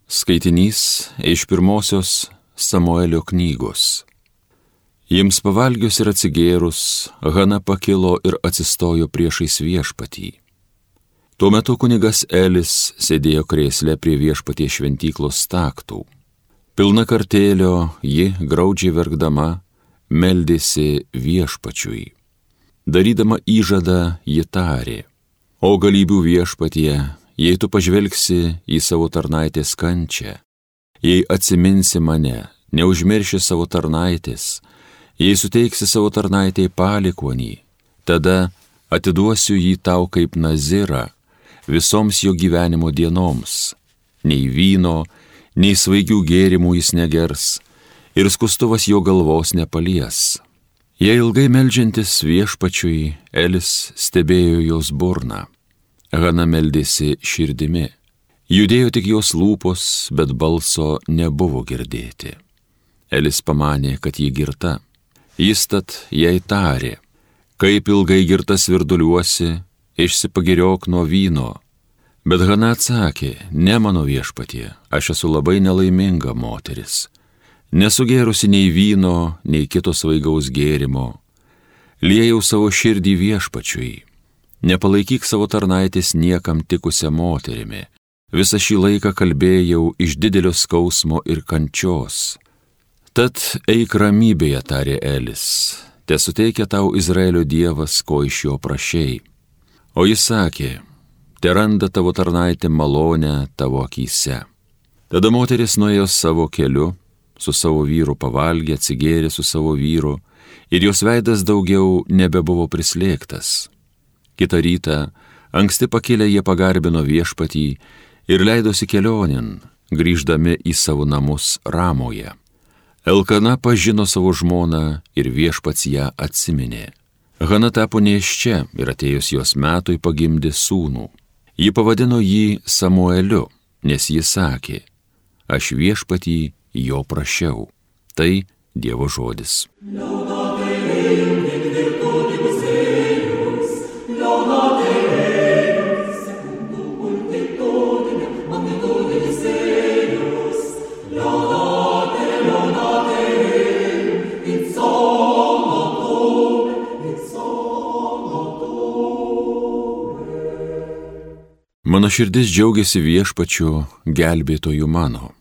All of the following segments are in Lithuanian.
Skaitinys iš pirmosios Samuelio knygos. Jiems pavalgius ir atsigėrus, Hana pakilo ir atsistojo priešais viešpatį. Tuo metu kunigas Elis sėdėjo krėsle prie viešpaties šventyklos staktų. Pilna kartėlio ji, graudžiai verkdama, meldėsi viešpačiui. Darydama įžadą, ji tarė: O galybių viešpatie, jei tu pažvelgsi į savo tarnaitės kančią, jei atsiminsi mane, neužmirši savo tarnaitės, jei suteiksi savo tarnaitei palikuonį, tada atiduosiu jį tau kaip nazirą visoms jo gyvenimo dienoms. Nei vyno, nei svaigių gėrimų jis negers, ir skustuvas jo galvos nepalies. Jei ilgai meldžiantis viešpačiui, Elis stebėjo jos burną. Hana meldėsi širdimi. Judėjo tik jos lūpos, bet balso nebuvo girdėti. Elis pamanė, kad ji girta. Jis tad jai tarė: Kaip ilgai girta svirduliuosi, išsipagiriok nuo vyno. Bet Hana atsakė: Ne, mano viešpatie, aš esu labai nelaiminga moteris. Nesugėrusi nei vyno, nei kito svaigaus gėrimo. Liejau savo širdį viešpačiui. Nepalaikyk savo tarnaitės niekam tikusią moterimi. Visą šį laiką kalbėjau iš didelio skausmo ir kančios. Tad eik ramybėje, tarė Elis, te suteikia tau Izraelio Dievas, ko iš jo prašei. O jis sakė: Te randa tavo tarnaitė malonę tavo akyse. Tada moteris nuėjo savo keliu, su savo vyru pavalgė, atsigėrė su savo vyru, ir jos veidas daugiau nebebuvo prislėgtas. Kitą rytą, anksti pakilę, jie pagarbino viešpatį ir leidosi kelionin, grįždami į savo namus Ramoje. Elkana pažino savo žmoną ir viešpats ją atsiminė. Hana tapo nėščia ir atėjus jos metui pagimdė sūnų. Ji pavadino jį Samueliu, nes jis sakė: Aš viešpatį jo prašiau. Tai Dievo žodis. Mano širdis džiaugiasi viešpačiu, gelbėtoju mano.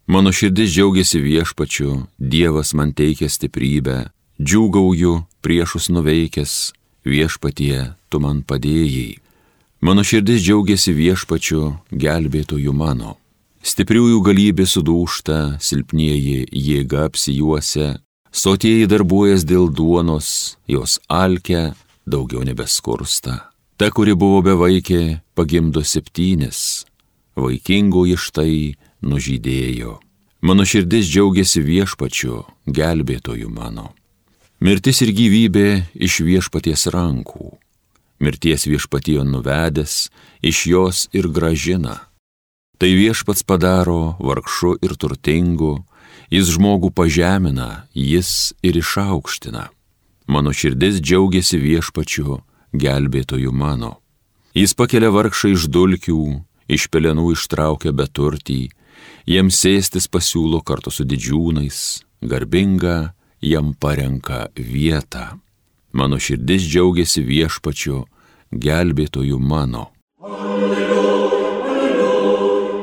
Mano širdis džiaugiasi viešpačiu, Dievas man teikia stiprybę, džiūgauju priešus nuveikęs, viešpatie, tu man padėjai. Mano širdis džiaugiasi viešpačiu, gelbėtoju mano. Stipriųjų galybė sudūžta, silpnieji jėga apsijuosia, sotieji darbuojas dėl duonos, jos alkia, daugiau nebeskursta. Ta, kuri buvo bevaikė, pagimdo 7, vaikingoji štai nužydėjo. Mano širdis džiaugiasi viešpačiu, gelbėtoju mano. Mirtis ir gyvybė iš viešpaties rankų. Mirties viešpatijon nuvedęs, iš jos ir gražina. Tai viešpats padaro vargšu ir turtingu, jis žmogų pažemina, jis ir išaukština. Mano širdis džiaugiasi viešpačiu, gelbėtoju mano. Jis pakelia vargšą iš dulkių, iš pelenų ištraukia beturtį, jiems sėstis pasiūlo kartu su didžiūnais, garbinga jam parenka vietą. Mano širdis džiaugiasi viešpačiu, gelbėtoju mano. Alleluja, alleluja,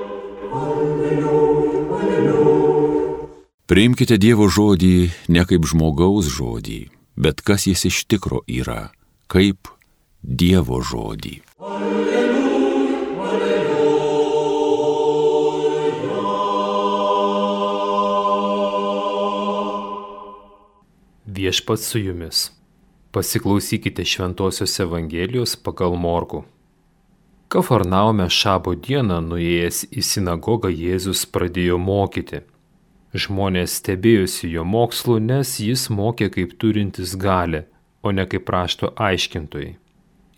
alleluja, alleluja. Priimkite Dievo žodį ne kaip žmogaus žodį, bet kas jis iš tikro yra, kaip Dievo žodį. Alleluja, alleluja. Viešpats su jumis. Pasiklausykite Šventosios Evangelijos pagal Morkų. Kafarnaume šabo dieną nuėjęs į sinagogą Jėzus pradėjo mokyti. Žmonės stebėjosi jo mokslu, nes jis mokė kaip turintis galią, o ne kaip rašto aiškintojai.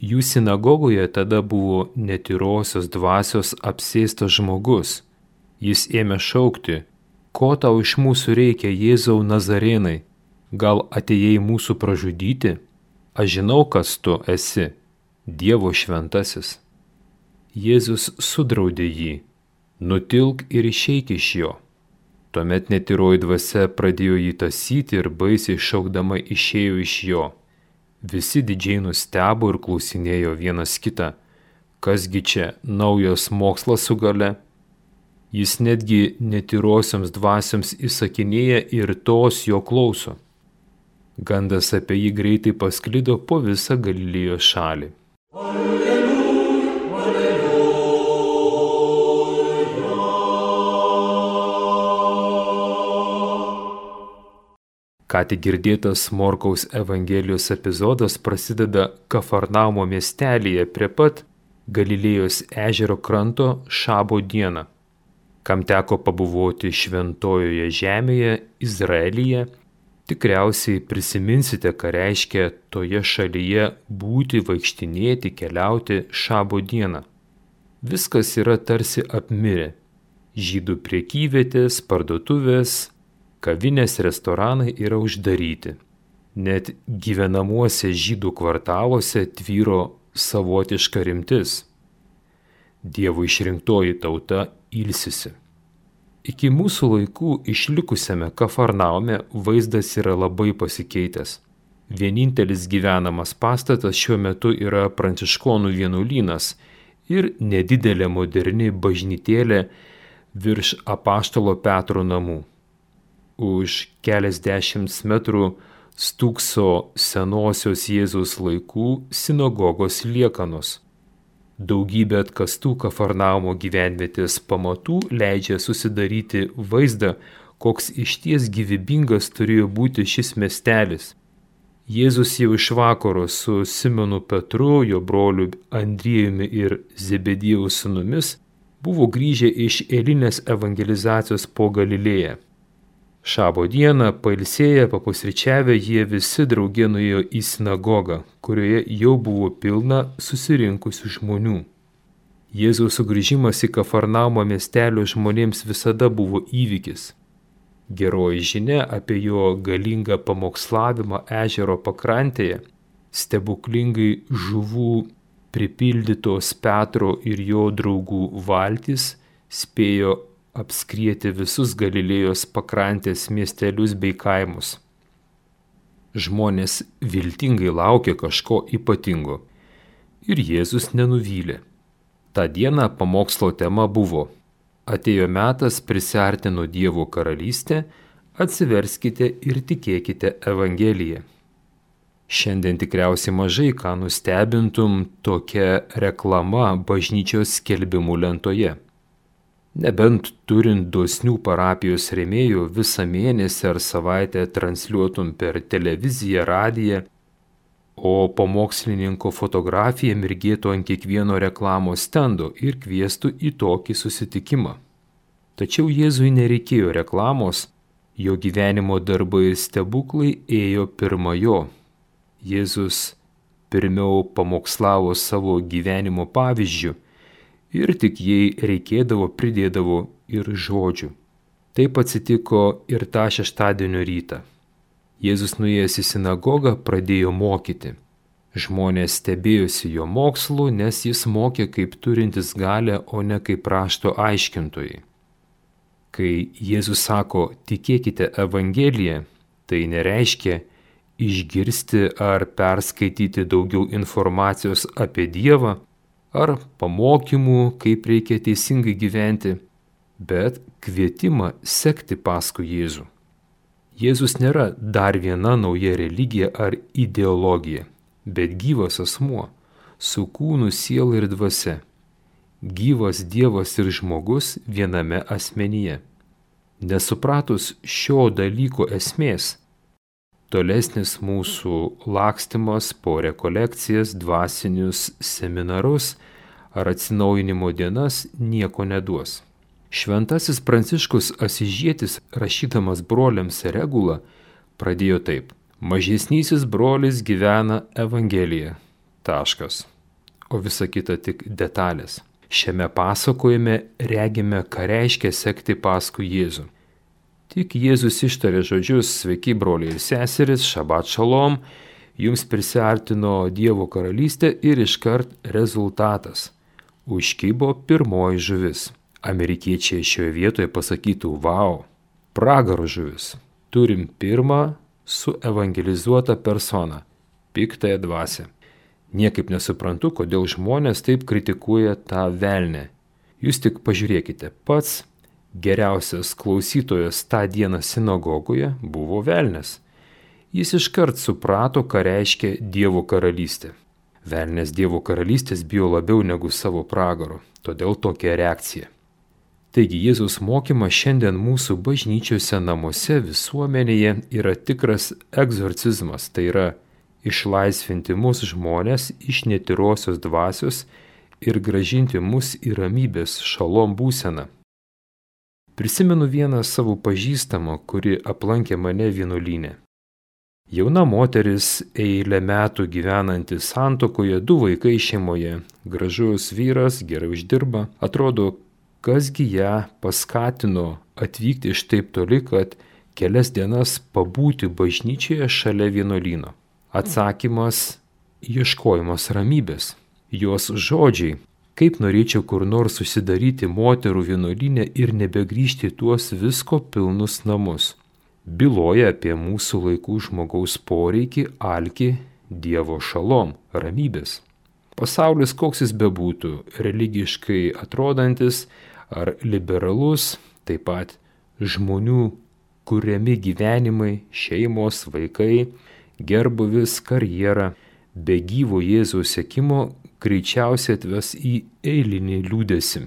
Jų sinagogoje tada buvo netyrosios dvasios apsėstas žmogus. Jis ėmė šaukti: Ko tau iš mūsų reikia, Jėzau Nazarėnai? Gal atėjai mūsų pražudyti? Aš žinau, kas tu esi, Dievo šventasis. Jėzus sudraudė jį: nutilk ir išeik iš jo. Tuomet netyroji dvasia pradėjo jį tąsyti ir baisiai šaukdama išėjo iš jo. Visi didžiai nustebo ir klausinėjo vienas kitą, kasgi čia naujas mokslas su gale? Jis netgi netyrosioms dvasioms įsakinėja ir tos jo klauso. Gandas apie jį greitai pasklido po visą Galilėjos šalį. Ką tik girdėtas Morkaus Evangelijos epizodas prasideda Kafarnaumo miestelyje prie pat Galilėjos ežero kranto Šabo dieną. Kam teko pabuvoti šventojoje žemėje, Izraelyje, tikriausiai prisiminsite, ką reiškia toje šalyje būti, vaikštinėti, keliauti Šabo dieną. Viskas yra tarsi apmirę. Žydų prekyvietės, parduotuvės, kavinės, restoranai yra uždaryti. Net gyvenamuose žydų kvartaluose tvyro savotiška rimtis. Dievo išrinktoji tauta ilsisi. Iki mūsų laikų išlikusiame Kafarnaume vaizdas yra labai pasikeitęs. Vienintelis gyvenamas pastatas šiuo metu yra pranciškonų vienuolynas ir nedidelė moderni bažnytėlė virš Apaštalo Petro namų. Už keliasdešimt metrų stūkso senosios Jėzaus laikų sinagogos liekanos. Daugybė atkastų Kafarnaumo gyvenvietės pamatų leidžia susidaryti vaizdą, koks išties gyvybingas turėjo būti šis miestelis. Jėzus jau iš vakaro su Simonu Petru, jo broliu Andriejumi ir Zebediejaus sūnumis buvo grįžę iš eilinės evangelizacijos po Galilėją. Šabo dieną, pailsėję, papusryčiavę, jie visi drauge nuėjo į sinagogą, kurioje jau buvo pilna susirinkusių žmonių. Jėzaus sugrįžimas į Kafarnaumo miestelio žmonėms visada buvo įvykis. Geroji žinia apie jo galingą pamokslavimą ežero pakrantėje, stebuklingai žuvų pripildytos Petro ir jo draugų valtys spėjo apskrieti visus Galilėjos pakrantės miestelius bei kaimus. Žmonės viltingai laukė kažko ypatingo ir Jėzus nenuvylė. Ta diena pamokslo tema buvo: atėjo metas prisiarti nuo Dievo karalystę, atsiverskite ir tikėkite Evangeliją. Šiandien tikriausiai mažai ką nustebintum tokia reklama bažnyčios skelbimų lentoje. Nebent turint dosnių parapijos rėmėjų visą mėnesį ar savaitę transliuotum per televiziją, radiją, o pamokslininko fotografija mirgėtų ant kiekvieno reklamos stendo ir kviestų į tokį susitikimą. Tačiau Jėzui nereikėjo reklamos, jo gyvenimo darbai ir stebuklai ėjo pirma jo. Jėzus pirmiau pamokslavo savo gyvenimo pavyzdžių, ir tik jei reikėdavo pridėdavo ir žodžių. Taip atsitiko ir tą šeštadienio rytą. Jėzus nuėjęs į sinagogą pradėjo mokyti. Žmonės stebėjosi jo mokslu, nes jis mokė kaip turintis galę, o ne kaip rašto aiškintojai. Kai Jėzus sako tikėkite Evangeliją, tai nereiškia išgirsti ar perskaityti daugiau informacijos apie Dievą, ar pamokymų, kaip reikia teisingai gyventi, bet kvietimą sekti paskui Jėzų. Jėzus nėra dar viena nauja religija ar ideologija, bet gyvas asmuo, su kūnu, siela ir dvasia. Gyvas Dievas ir žmogus viename asmenyje. Nesupratus šio dalyko esmės, tolesnis mūsų lakstymas po rekolekcijas, dvasinius seminarus ar atsinaujinimo dienas nieko neduos. Šventasis Pranciškus Asyžietis, rašydamas broliams regulą, pradėjo taip: mažesnysis brolis gyvena Evangeliją. Taškas. O visa kita tik detalės. Šiame pasakojime regime, ką reiškia sekti paskui Jėzų. Tik Jėzus ištarė žodžius: sveiki broliai ir seserys, šabat šalom, jums prisiartino Dievo karalystė ir iškart rezultatas. Užkibo pirmoji žuvis. Amerikiečiai šioje vietoje pasakytų, vau, pragaro žuvis. Turim pirmą suevangelizuotą personą – piktąją dvasią. Niekaip nesuprantu, kodėl žmonės taip kritikuoja tą velnę. Jūs tik pažiūrėkite, pats geriausias klausytojas tą dieną sinagogoje buvo velnias. Jis iškart suprato, ką reiškia Dievo karalystė. Velnias Dievo karalystės bijo labiau negu savo pragaro, todėl tokia reakcija. Taigi Jėzaus mokymas šiandien mūsų bažnyčiose, namuose, visuomenėje yra tikras egzorcizmas, tai yra išlaisvinti mūsų žmonės iš netyrosios dvasios ir grąžinti mus į ramybės šalom būseną. Prisimenu vieną savo pažįstamą, kuri aplankė mane vienuolyne. Jauna moteris, eilę metų gyvenanti santuokoje, 2 vaikai šeimoje, gražus vyras, gerai uždirba, atrodo, kasgi ją paskatino atvykti iš taip toli, kad kelias dienas pabūti bažnyčioje šalia vienuolyno. Atsakymas – ieškojimas ramybės. Jos žodžiai – kaip norėčiau kur nors susidaryti moterų vienuolyne ir nebegrįžti tuos visko pilnus namus. Byloja apie mūsų laikų žmogaus poreikį, alkį, Dievo šalom, ramybės. Pasaulis, koks jis bebūtų, religiškai atrodantis ar liberalus, taip pat žmonių kuriami gyvenimai, šeimos, vaikai, gerbuvis, karjera, be gyvo Jėzaus sekimo greičiausiai atves į eilinį liūdesį.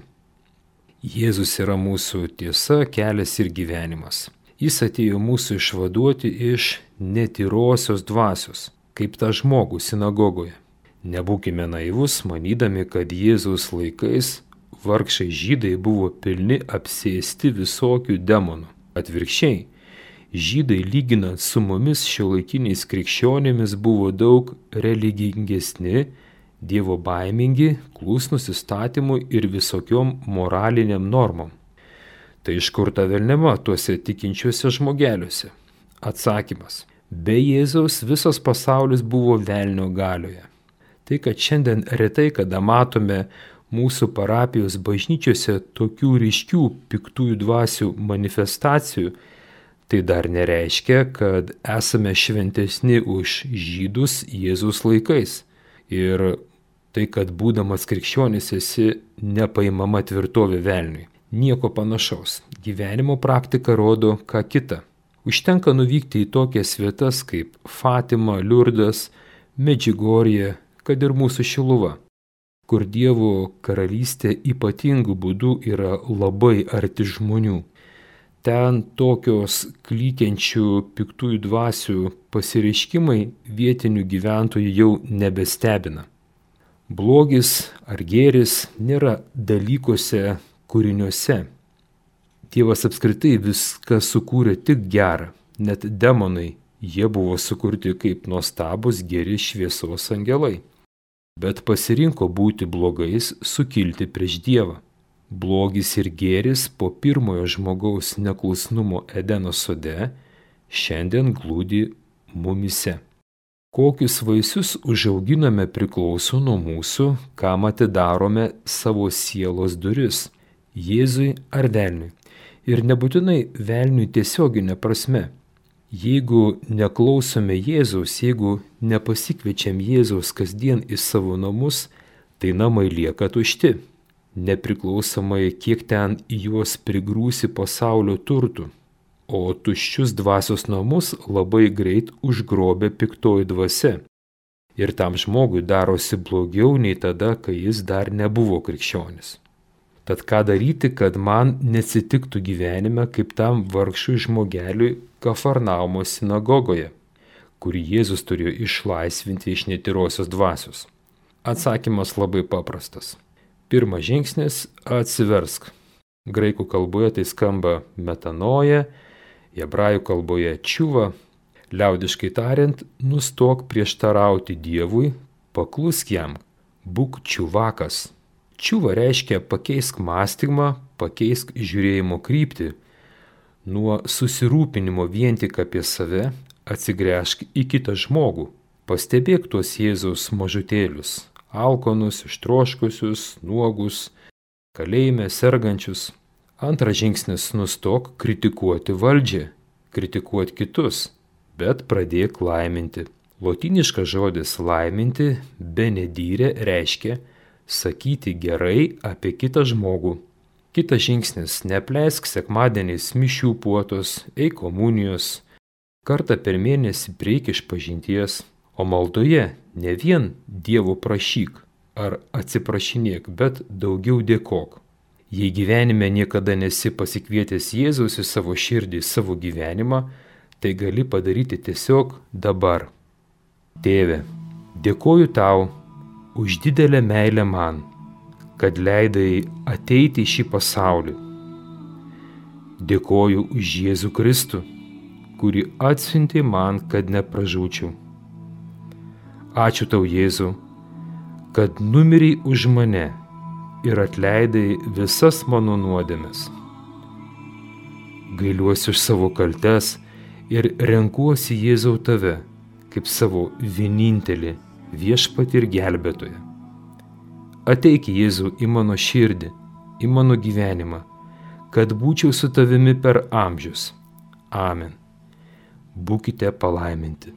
Jėzus yra mūsų tiesa, kelias ir gyvenimas. Jis atėjo mūsų išvaduoti iš netyrosios dvasios, kaip tą žmogų sinagogoje. Nebūkime naivus, manydami, kad Jėzaus laikais vargšai žydai buvo pilni apsėsti visokių demonų. Atvirkščiai, žydai lyginant su mumis šiuolaikiniais krikščionėmis buvo daug religingesni, dievo baimingi, klusnūs įstatymui ir visokiom moraliniam normom. Tai iš kur ta velniava tuose tikinčiuose žmogeliuose? Atsakymas. Be Jėzaus visas pasaulis buvo velnio galioje. Tai, kad šiandien retai kada matome mūsų parapijos bažnyčiose tokių ryškių piktųjų dvasių manifestacijų, tai dar nereiškia, kad esame šventesni už žydus Jėzaus laikais. Ir tai, kad būdamas krikščionis esi nepaimama tvirtovė velniui. Nieko panašaus. Gyvenimo praktika rodo ką kita. Užtenka nuvykti į tokias vietas kaip Fatima, Liurdas, Medžiugorje, kad ir mūsų Šiluva, kur Dievo karalystė ypatingų būdų yra labai arti žmonių. Ten tokios klykiančių piktųjų dvasių pasireiškimai vietinių gyventojų jau nebestebina. Blogis ar gėris nėra dalykuose, kūriniuose. Dievas apskritai viską sukūrė tik gerą, net demonai, jie buvo sukurti kaip nuostabus geri šviesos angelai. Bet pasirinko būti blogais, sukilti prieš Dievą. Blogis ir gėris po pirmojo žmogaus neklusnumo Edeno sode šiandien glūdi mumyse. Kokius vaisius užauginame priklauso nuo mūsų, kam atidarome savo sielos duris – Jėzui ar velniui. Ir nebūtinai velniui tiesioginė prasme. Jeigu neklausome Jėzaus, jeigu nepasikviečiam Jėzaus kasdien į savo namus, tai namai lieka tušti. Nepriklausomai, kiek ten į juos prigrūsi pasaulio turtų. O tuščius dvasios namus labai greit užgrobia piktoji dvasia. Ir tam žmogui darosi blogiau nei tada, kai jis dar nebuvo krikščionis. Tad ką daryti, kad man neatsitiktų gyvenime kaip tam vargšui žmogeliui Kafarnaumo sinagogoje, kurį Jėzus turėjo išlaisvinti iš netyrosios dvasios? Atsakymas labai paprastas. Pirmas žingsnis – atsiversk. Graikų kalboje tai skamba metanoja, hebrajų kalboje čiuva. Liaudiškai tariant, nustok prieštarauti Dievui, paklusk jam, būk čiuvakas. Čiuva reiškia pakeisk mąstymą, pakeisk žiūrėjimo kryptį. Nuo susirūpinimo vien tik apie save atsigręžk į kitą žmogų. Pastebėk tuos Jėzaus mažutėlius, alkonus, ištroškusius, nuogus, kalėjime sergančius. Antras žingsnis - nustok kritikuoti valdžią, kritikuoti kitus, bet pradėk laiminti. Lotyniškas žodis laiminti, benedire, reiškia sakyti gerai apie kitą žmogų. Kitas žingsnis - nepleisk sekmadieniais mišių puotos, eik komunijos, kartą per mėnesį prieik išpažinties, o maldoje ne vien Dievo prašyk ar atsiprašinėk, bet daugiau dėkok. Jei gyvenime niekada nesi pasikvietęs Jėzaus į savo širdį, savo gyvenimą, tai gali padaryti tiesiog dabar. Tėve, dėkoju tau už didelę meilę man, kad leidai ateiti į šį pasaulį. Dėkoju už Jėzų Kristų, kurį atsiuntė man, kad nepražūčiau. Ačiū tau, Jėzau, kad numirei už mane ir atleidai visas mano nuodėmes. Gailiuosi už savo kaltes ir renkuosi, Jėzau, tave kaip savo vienintelį viešpatį ir gelbėtoją. Ateik, Jėzau, į mano širdį, į mano gyvenimą, kad būčiau su tavimi per amžius. Amen. Būkite palaiminti.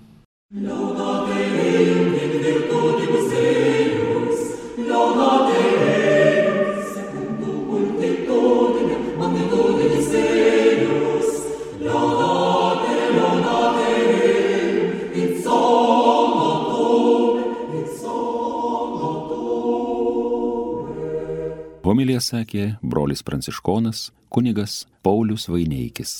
Homiliją sakė brolis pranciškonas kunigas Paulius Vaineikis.